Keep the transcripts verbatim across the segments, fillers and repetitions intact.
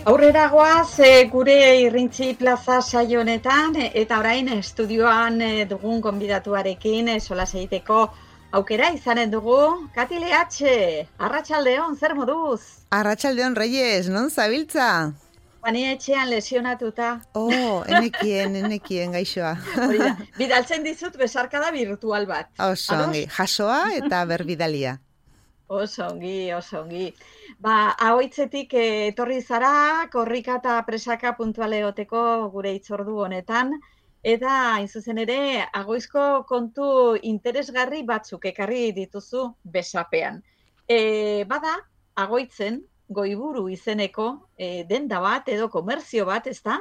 Aurrera goaz e, gure Irrintzi plaza saio honetan e, eta orain estudioan e, dugun gonbidatuarekin e, solas egiteko aukera izanen dugu. Kati Leatxe, arratsaldeon, zer moduz? Arratsaldeon Reyes, non zabiltza? Bani etxean lesionatuta. Oh, enekien, enekien gaixoa. Hori da, bidaltzen dizut besarkada virtual bat. Oso ongi, jasoa eta berbidalia. Oso ongi, oso ongi. Ba, ahoitzetik eh, etorri zara, korrika eta presaka puntuale egoteko gure hitzordu honetan, eta hain zuzen ere, agoizko kontu interesgarri batzuk ekarri dituzu besapean. E, bada, agoitzen, goiburu izeneko e, denda bat edo komerzio bat, ezta?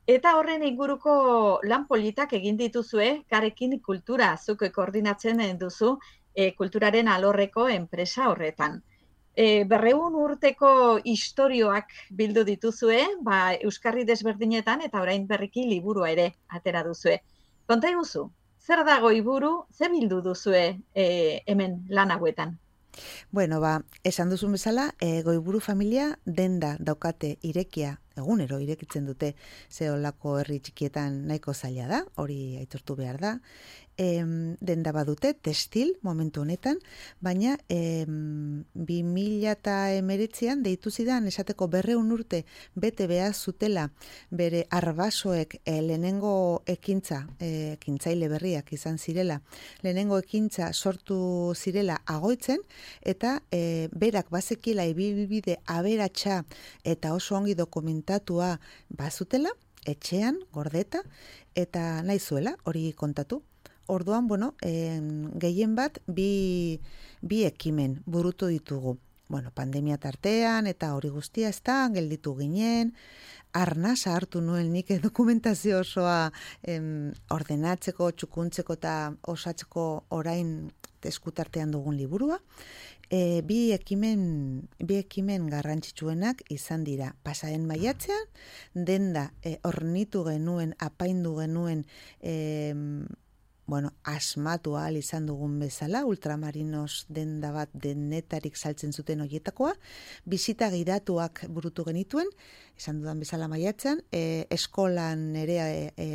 Eta horren inguruko lan politak egin dituzue, Karekin kultura, zuk koordinatzen duzu, E, kulturaren alorreko enpresa horretan. E, berreun urteko istorioak bildu dituzue, ba, euskarri desberdinetan eta orain berriki liburua ere atera duzue. Konta iguzu, zer da goiburu, ze bildu duzue e, hemen lan hauetan? Bueno, ba, esan duzun bezala, e, goiburu familia denda daukate irekia, egunero irekitzen dute, ze olako herri txikietan nahiko zaila da, hori aitortu behar da. Em, denda badute, testil, momentu honetan, baina em, bi mila emeretzian deitu zidan esateko berreun urte bete behar zutela bere arbasoek e, lehenengo ekintza, e, ekintzaile berriak izan zirela, lehenengo ekintza sortu zirela agoitzen, eta e, berak bazekila ibibide aberatsa eta oso ongi dokumentatua bazutela, etxean, gordeta, eta nahi zuela hori kontatu. Orduan, bueno, eh, gehien bat bi, bi ekimen burutu ditugu. Bueno, pandemia tartean eta hori guztia ez da, gelditu ginen, arnasa hartu nuen nik dokumentazio osoa em, ordenatzeko, txukuntzeko eta osatzeko orain eskutartean dugun liburua. E, bi ekimen, bi ekimen garrantzitsuenak izan dira. Pasaren maiatzean, denda e, ornitu genuen, apaindu genuen, e, bueno, asmatu ahal izan dugun bezala, ultramarinos denda bat denetarik saltzen zuten horietakoa, bizita gidatuak burutu genituen, esan dudan bezala maiatzean, e, eskolan ere e, e,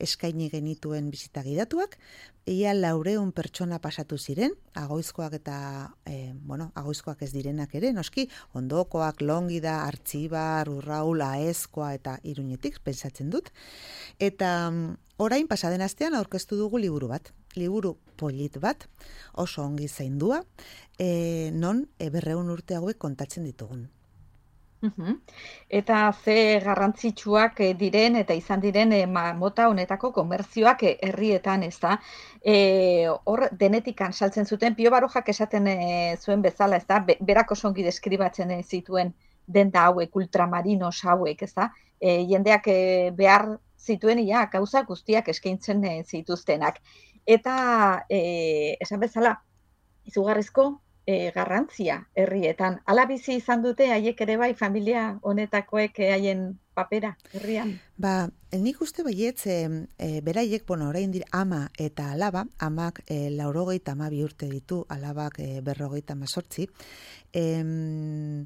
eskaini genituen bizita gidatuak, ia laureun pertsona pasatu ziren, agoizkoak eta, e, bueno, agoizkoak ez direnak ere, noski, ondokoak, longida, artxibar, urraul, aezkoa eta iruñetik, pensatzen dut, eta orain pasaden astean aurkeztu dugu liburu bat, liburu polit bat, oso ongi zaindua, e, non e, berreun urte hauek kontatzen ditugun. Uhum. Eta ze garrantzitsuak diren eta izan diren e, mota honetako komerzioak e, herrietan, ez da? E, hor denetikan saltzen zuten, Pio Barojak esaten e, zuen bezala, ez da? Be, berak oso ongi deskribatzen e, zituen denda hauek, ultramarinos hauek, ez da? E, jendeak e, behar zituen ia gauza guztiak eskaintzen e, zituztenak. Eta e, esan bezala, izugarrizko e, garrantzia herrietan. Hala bizi izan dute haiek ere bai familia honetakoek haien papera herrian. Ba, nik uste baietz, e, e, beraiek, bueno, orain dira ama eta alaba, amak e, laurogeita hamabi urte ditu, alabak e, berrogeita hemezortzi, em,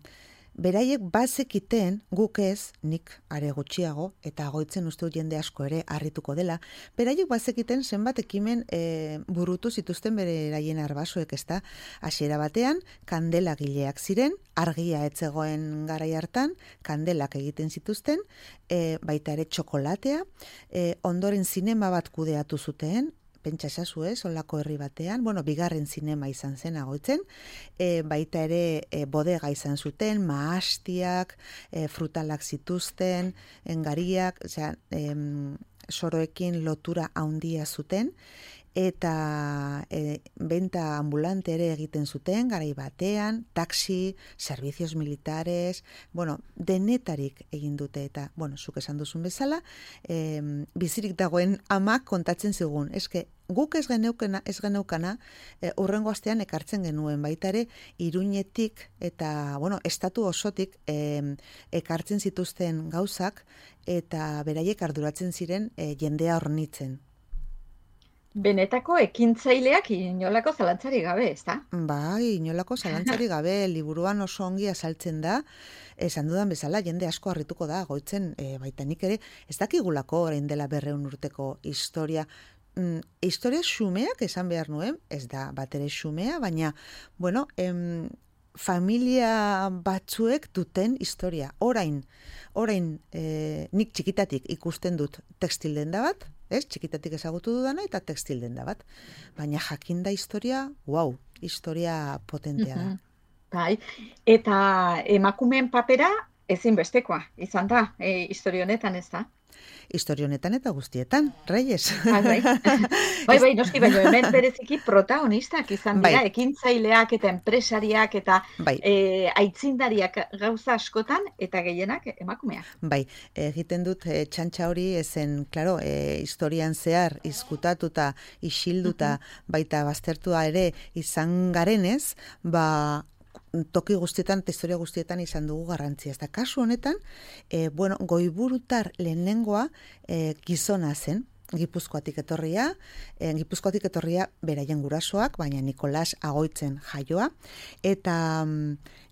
beraiek bazekiten guk ez, nik are gutxiago, eta goitzen uste jende asko ere harrituko dela, beraiek bazekiten zenbat ekimen e, burutu zituzten beraien arbasoek, ez da, hasiera batean, kandelagileak ziren, argia etzegoen garai hartan, kandelak egiten zituzten, e, baita ere txokolatea, e, ondoren zinema bat kudeatu zuten, pentsa esazu ez, olako herri batean, bueno, bigarren zinema izan zen agoitzen, e, baita ere e, bodega izan zuten, maastiak, e, frutalak zituzten, engariak, osea, em, soroekin lotura handia zuten, eta e, benta ambulante ere egiten zuten, garai batean, taxi, servicios militares, bueno, denetarik egin dute, eta, bueno, zuk esan duzun bezala, e, bizirik dagoen amak kontatzen zigun, eske, guk ez geneukena, ez geneukana, e, urrengo astean ekartzen genuen, baita ere, Iruñetik eta, bueno, estatu osotik e, ekartzen zituzten gauzak, eta beraiek arduratzen ziren e, jendea hornitzen. Benetako ekintzaileak inolako zalantzari gabe, ez da? Bai, inolako zalantzari gabe, liburuan oso ongi azaltzen da, esan dudan bezala, jende asko harrituko da, goitzen, e, baita nik ere, ez dakigulako orain dela berreun urteko historia, mm, historia xumeak esan behar nuen, ez da batere xumea, baina, bueno, em, familia batzuek duten historia. Orain, orain e, nik txikitatik ikusten dut tekstil denda bat, ez? Txikitatik ezagutu dudana eta tekstil denda bat. Baina jakinda historia, wow, historia potentea da. Bai, eta emakumeen papera ezinbestekoa izan da, e, historia honetan, ez da? Historia honetan eta guztietan, Reyes. Bai, bai, bai, bai noski, baina hemen bereziki protagonistak izan dira, bai. Ekintzaileak eta enpresariak eta bai. e, aitzindariak gauza askotan eta gehienak emakumeak. Bai, egiten dut e, txantxa hori ezen, klaro, e, historian zehar izkutatuta, isilduta, uh-huh. baita baztertua ere izan garenez, ba, toki guztietan eta historia guztietan izan dugu garrantzia. Eta kasu honetan, e, bueno, goiburutar lehenengoa e, gizona zen, Gipuzkoatik etorria, e, Gipuzkoatik etorria beraien gurasoak, baina Nikolas Agoitzen jaioa, eta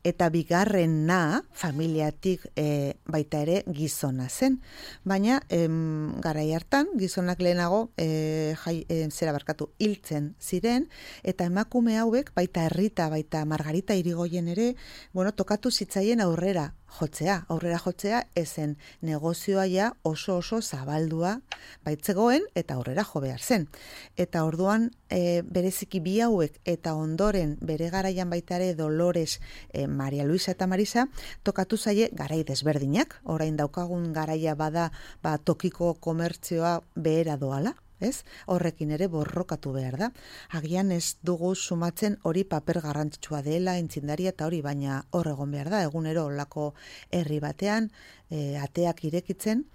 eta bigarrena familiatik e, baita ere gizona zen. Baina em, garai hartan gizonak lehenago e, jai, e, zera barkatu hiltzen ziren, eta emakume hauek baita Errita, baita Margarita Irigoyen ere, bueno, tokatu zitzaien aurrera jotzea, aurrera jotzea ezen negozioa ja oso oso zabaldua baitzegoen eta aurrera jo behar zen. Eta orduan e, bereziki bi hauek eta ondoren bere garaian baita ere Dolores, e, Maria Luisa eta Marisa tokatu zaie garai desberdinak, orain daukagun garaia bada ba, tokiko komertzioa behera doala. Ez? Horrekin ere borrokatu behar da. Agian ez dugu sumatzen hori paper garrantzitsua dela, entzindaria eta hori, baina hor egon behar da, egunero olako herri batean, e, ateak irekitzen,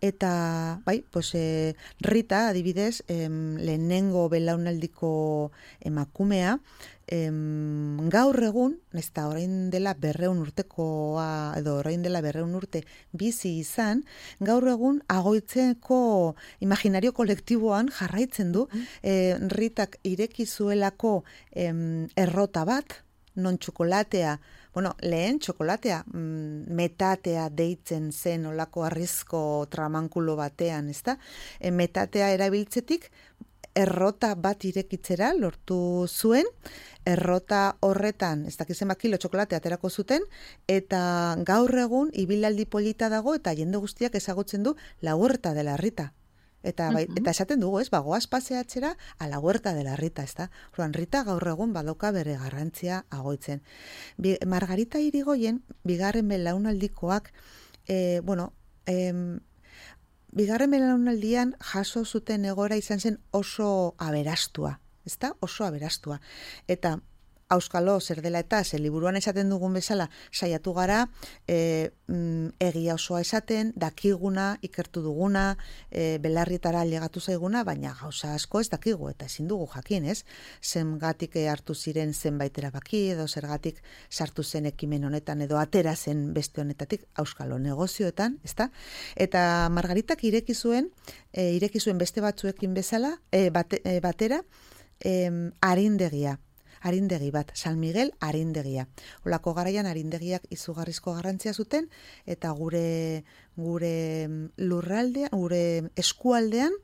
eta bai, pues, e, Rita, adibidez, em, lehenengo belaunaldiko emakumea, em, gaur egun, ez da orain dela berreun urtekoa, edo orain dela berreun urte bizi izan, gaur egun Agoitzeko imaginario kolektiboan jarraitzen du, e, Ritak ireki zuelako em, errota bat, non txokolatea, bueno, lehen txokolatea, mm, metatea deitzen zen olako arrizko tramankulo batean, ezta? E, metatea erabiltzetik, errota bat irekitzera lortu zuen, errota horretan, ez dakizen kilo txokolatea aterako zuten, eta gaur egun ibilaldi polita dago, eta jende guztiak ezagutzen du la huerta de la Rita. Eta, bai, eta esaten dugu, ez, bagoaz paseatzera a la huerta de la Rita, ez da? Joan, Rita gaur egun badoka bere garrantzia Agoitzen. Bi, Margarita Irigoyen, bigarren belaunaldikoak, e, bueno, em, bigarren belaunaldian jaso zuten egoera izan zen oso aberastua, ez da? Oso aberastua. Eta auskalo zer dela eta ze liburuan esaten dugun bezala saiatu gara e, mm, egia osoa esaten, dakiguna, ikertu duguna, e, belarrietara llegatu zaiguna, baina gauza asko ez dakigu eta ezin dugu jakin, ez? Zengatik hartu ziren zenbait erabaki edo zergatik sartu zen ekimen honetan edo atera zen beste honetatik auskalo negozioetan, ezta? Eta Margaritak ireki zuen, e, ireki zuen beste batzuekin bezala, e, bate, e, batera, e, arindegia. Arindegi bat, San Miguel arindegia. Olako garaian arindegiak izugarrizko garrantzia zuten, eta gure gure lurraldean, gure eskualdean,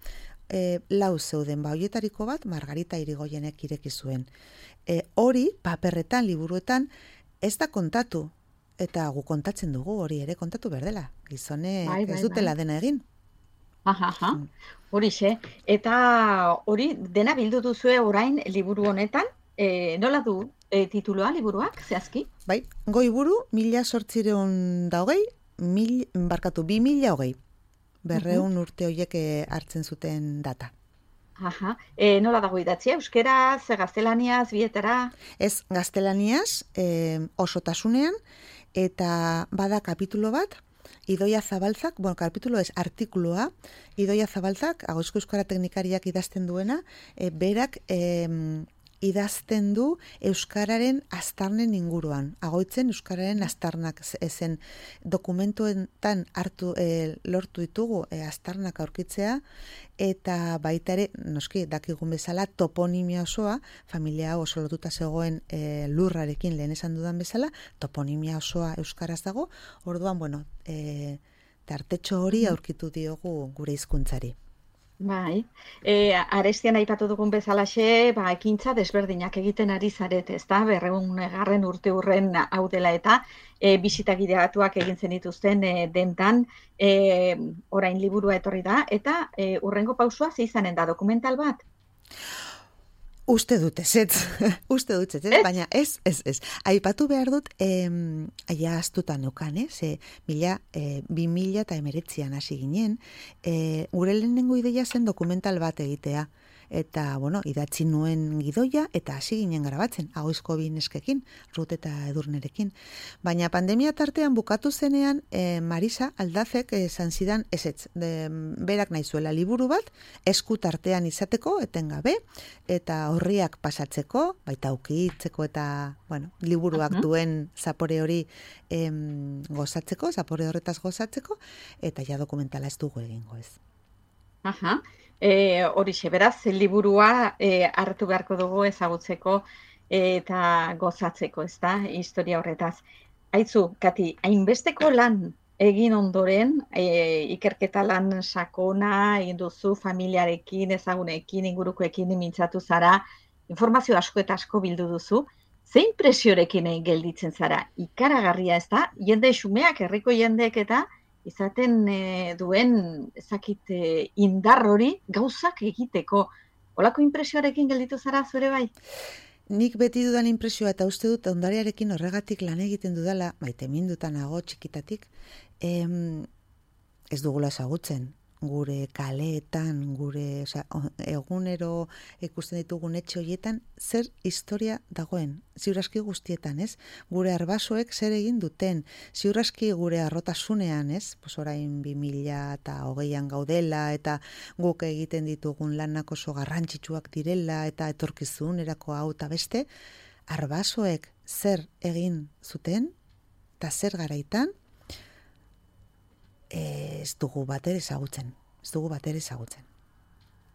e, lau zeuden, ba, hoietariko bat Margarita Irigoyenek ireki zuen. E, hori, paperretan, liburuetan, ez da kontatu, eta gu kontatzen dugu, hori ere kontatu berdela. Gizonek bai, bai, ez dutela bai. Dena egin. Aha, aha. Horixe. Eta hori, dena bildu duzue orain liburu honetan, E, nola du e, tituloa liburuak, zehazki? Bai, goiburu, mila sortzireun da hogei, mil, barkatu, bi mila hogei. Berreun uh-huh. urte horiek hartzen zuten data. Aha, e, nola dago idatzia? Euskeraz, gaztelaniaz, bietara? Ez, gaztelaniaz, e, osotasunean, eta bada kapitulo bat, Idoia Zabaltzak, bueno, kapitulo ez, artikuloa, Idoia Zabaltzak, Agoizko Euskara Teknikariak idazten duena, e, berak... E, idazten du euskararen aztarnen inguruan. Agoitzen euskararen aztarnak ezen dokumentuetan hartu e, lortu ditugu e, aztarnak aurkitzea, eta baita ere, noski, dakigun bezala, toponimia osoa, familia oso lotuta zegoen e, lurrarekin lehen esan dudan bezala, toponimia osoa euskaraz dago, orduan, bueno, e, tartetxo hori aurkitu diogu gure hizkuntzari. Bai, e, arestian aipatu dugun bezalaxe, ba, ekintza desberdinak egiten ari zarete, ezta? Berreun garren urte urren hau dela eta e, bisita gideatuak egin zenituzten e, dentan, e, orain liburua etorri da, eta e, urrengo pausua ze izanen da, dokumental bat? Uste dut ez, ez, uste dut ez, ez, baina ez, ez, ez. Aipatu behar dut, em, aia astuta neukan, eh? Ze, mila, e, bi mila eta emeretzian hasi ginen, e, gure lehenengo ideia zen dokumental bat egitea. Eta, bueno, idatzi nuen gidoia, eta hasi ginen grabatzen, Agoizko bi neskekin, Rut eta Edurnerekin. Baina pandemia tartean bukatu zenean, e, Marisa Aldazek esan zidan ezetz, de, berak nahi zuela liburu bat, esku tartean izateko, etengabe, eta horriak pasatzeko, baita ukitzeko eta, bueno, liburuak uh-huh. duen zapore hori em, gozatzeko, zapore horretaz gozatzeko, eta ja dokumentala ez dugu egingo ez. Aha. E, horixe, beraz, liburua e, hartu beharko dugu ezagutzeko e, eta gozatzeko, ez da, historia horretaz. Aitzu, Kati, hainbesteko lan egin ondoren, e, ikerketa lan sakona, egin duzu familiarekin, ezagunekin, ingurukoekin mintzatu zara, informazio asko eta asko bildu duzu, zein presiorekin gelditzen zara? Ikaragarria, ez da, jende xumeak, herriko jendeek eta izaten e, duen ezakit e, indar hori gauzak egiteko. Olako inpresioarekin gelditu zara zure bai? Nik beti dudan inpresioa eta uste dut ondarearekin horregatik lan egiten dudala, maite mindutan nago txikitatik, em, ez dugula ezagutzen. Gure kaleetan, gure, osea, egunero ikusten ditugun etxe horietan, zer historia dagoen, ziurraski guztietan, ez? Gure arbasoek zer egin duten, ziurraski gure arrotasunean, ez? Pues orain bi mila eta hogeian gaudela, eta guk egiten ditugun lanak oso garrantzitsuak direla, eta etorkizunerako hau eta beste, arbasoek zer egin zuten, eta zer garaitan, ez dugu bater ezagutzen. Ez dugu bater ezagutzen.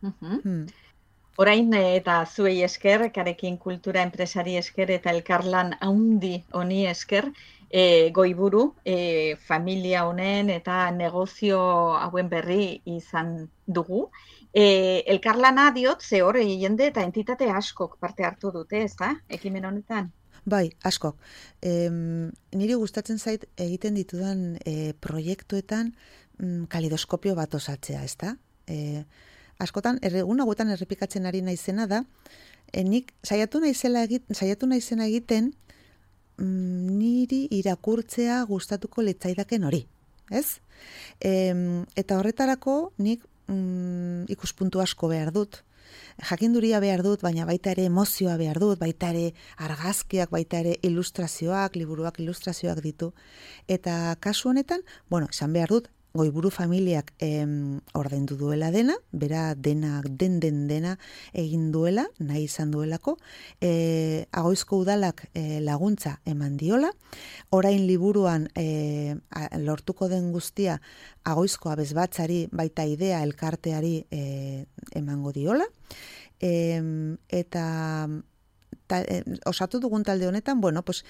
Uh-huh. Hmm. Orain eta zuei esker, Karekin Kultura enpresari esker eta elkarlan haundi honi esker, e, goiburu, e, familia honen eta negozio hauen berri izan dugu. E, elkarlana diot, ze hor jende eta entitate askok parte hartu dute, ez da, ekimen honetan? Bai, askok. E, niri gustatzen zait egiten ditudan e, proiektuetan mm, kalidoskopio bat osatzea, ez da? E, askotan, egun hauetan errepikatzen ari naizena da, e, nik saiatu naizela egiten, saiatu naizena egiten mm, niri irakurtzea gustatuko litzaidaken hori, ez? E, eta horretarako nik mm, ikuspuntu asko behar dut. Jakinduria behar dut, baina baita ere emozioa behar dut, baita ere argazkiak, baita ere ilustrazioak, liburuak ilustrazioak ditu. Eta kasu honetan, bueno, esan behar dut, Goiburu familiak em, ordaindu duela dena, bera dena, den den dena egin duela, nahi izan duelako, e, Agoizko udalak e, laguntza eman diola, orain liburuan e, a, lortuko den guztia Agoizko abesbatzari baita idea elkarteari e, emango diola, e, eta ta, e, osatu dugun talde honetan, bueno, pues,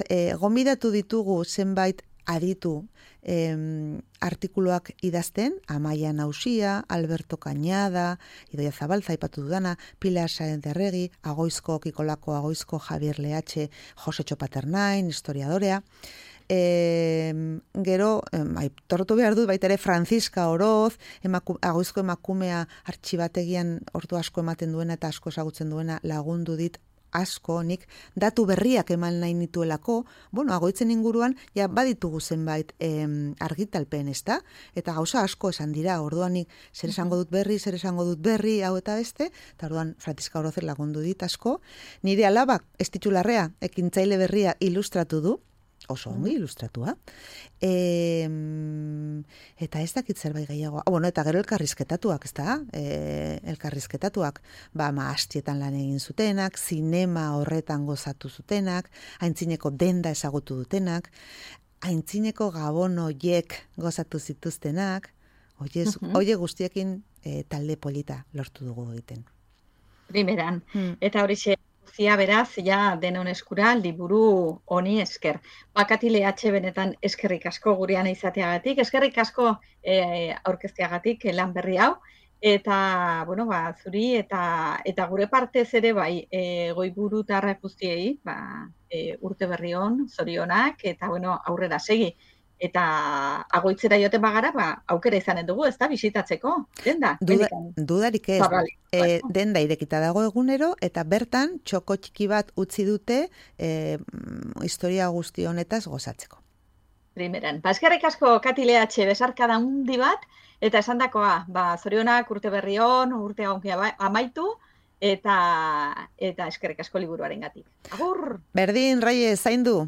e, gonbidatu ditugu zenbait aditu em, artikuluak idazten, Amaia Nausia, Alberto Cañada, Idoia Zabalza, ipatu dudana, Pilar Sáenz de Arregi, Agoizko, Kikolako Agoizko, Javier Leache, Josetxo Paternain, historiadorea. E, gero, aitortu behar dut, baita ere Franziska Oroz, emaku, Agoizko emakumea artxibategian ordu asko ematen duena eta asko ezagutzen duena lagundu dit asko, nik datu berriak eman nahi nituelako, bueno, Agoitzen inguruan, ja baditugu zenbait em, argitalpen, ez da? Eta gauza asko esan dira, orduan nik zer esango dut berri, zer esango dut berri, hau eta beste, eta orduan Franziska Orozer lagundu dit asko. Nire alabak, ez titularrea, ekintzaile berria ilustratu du, oso ongi ilustratua. E, eta ez dakit zerbait gehiago. Ah, bueno, eta gero elkarrizketatuak, ez da? E, elkarrizketatuak, ba, maastietan lan egin zutenak, zinema horretan gozatu zutenak, aintzineko denda ezagutu dutenak, aintzineko gabon hoiek gozatu zituztenak, oie, uh-huh. oie guztiekin e, talde polita lortu dugu egiten. Primeran. Hmm. Eta hori zia beraz, ja denon eskura liburu honi esker. Bakatile atxe benetan eskerrik asko gurean izateagatik, eskerrik asko e, aurkezteagatik lan berri hau, eta, bueno, ba, zuri eta eta gure partez ere bai, e, goiburu tarra guztiei, ba, e, urte berri on, zorionak, eta, bueno, aurrera segi. Eta agoitzera joten bagara, ba, aukera izanen dugu, ez da, bisitatzeko, denda? Duda, dudarik ez, e, denda irekita dago egunero, eta bertan txoko txiki bat utzi dute e, historia guzti honetaz gozatzeko. Primeran, ba, eskerrik asko Katile Atxe besarkada hundi bat, eta esandakoa, ba, zorionak urte berri on, urte onkia amaitu, eta, eta eskerrik asko liburuarengatik. Agur! Berdin, Raiez, zaindu!